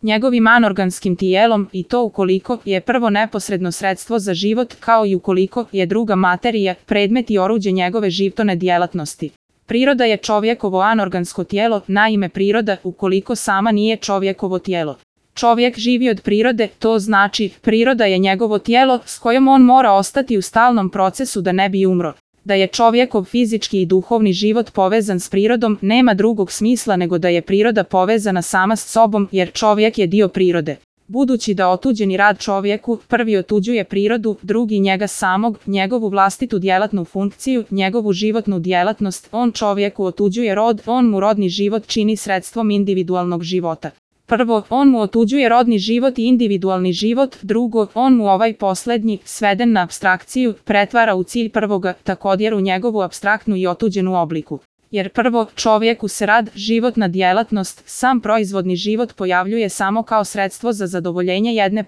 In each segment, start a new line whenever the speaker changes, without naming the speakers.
njegovim anorganskim tijelom i to ukoliko je prvo neposredno sredstvo za život kao i ukoliko je druga materija, predmet i oruđe njegove životne djelatnosti. Priroda je čovjekovo anorgansko tijelo, naime priroda ukoliko sama nije čovjekovo tijelo. Čovjek živi od prirode, to znači priroda je njegovo tijelo s kojom on mora ostati u stalnom procesu da ne bi umro. Da je čovjekov fizički i duhovni život povezan s prirodom nema drugog smisla nego da je priroda povezana sama s sobom jer čovjek je dio prirode. Budući da otuđeni rad čovjeku prvi otuđuje prirodu, drugi njega samog, njegovu vlastitu djelatnu funkciju, njegovu životnu djelatnost, on čovjeku otuđuje rod, on mu rodni život čini sredstvom individualnog života. Prvo, on mu otuđuje rodni život i individualni život, drugo, on mu ovaj posljednji, sveden na apstrakciju, pretvara u cilj prvoga, također u njegovu apstraktnu i otuđenu obliku. Jer prvo, čovjeku se rad, životna djelatnost, sam proizvodni život pojavljuje samo kao sredstvo za zadovoljenje jedne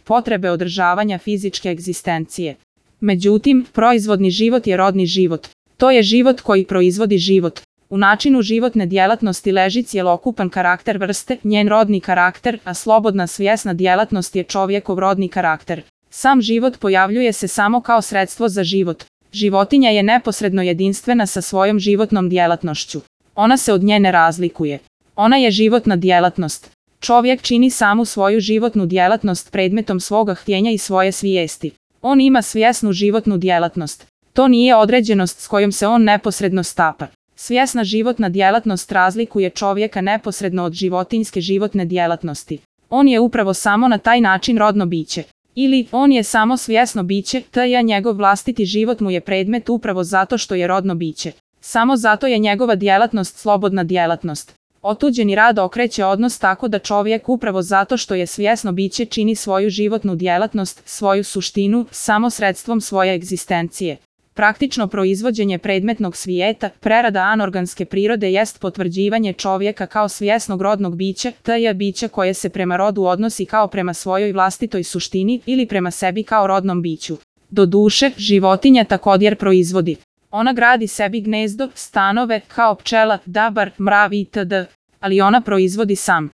potrebe održavanja fizičke egzistencije. Međutim, proizvodni život je rodni život. To je život koji proizvodi život. U načinu životne djelatnosti leži cjelokupan karakter vrste, njen rodni karakter, a slobodna svjesna djelatnost je čovjekov rodni karakter. Sam život pojavljuje se samo kao sredstvo za život. Životinja je neposredno jedinstvena sa svojom životnom djelatnošću. Ona se od nje ne razlikuje. Ona je životna djelatnost. Čovjek čini samu svoju životnu djelatnost predmetom svoga htjenja i svoje svijesti. On ima svjesnu životnu djelatnost. To nije određenost s kojom se on neposredno stapa. Svjesna životna djelatnost razlikuje čovjeka neposredno od životinjske životne djelatnosti. On je upravo samo na taj način rodno biće. Ili, on je samo svjesno biće, te njegov vlastiti život mu je predmet upravo zato što je rodno biće. Samo zato je njegova djelatnost slobodna djelatnost. Otuđeni rad okreće odnos tako da čovjek upravo zato što je svjesno biće čini svoju životnu djelatnost, svoju suštinu, samo sredstvom svoje egzistencije. Praktično proizvođenje predmetnog svijeta, prerada anorganske prirode jest potvrđivanje čovjeka kao svjesnog rodnog bića, te biće koje se prema rodu odnosi kao prema svojoj vlastitoj suštini ili prema sebi kao rodnom biću. Doduše, životinja također proizvodi. Ona gradi sebi gnezdo, stanove, kao pčela, dabar, mrav itd. Ali ona proizvodi sam.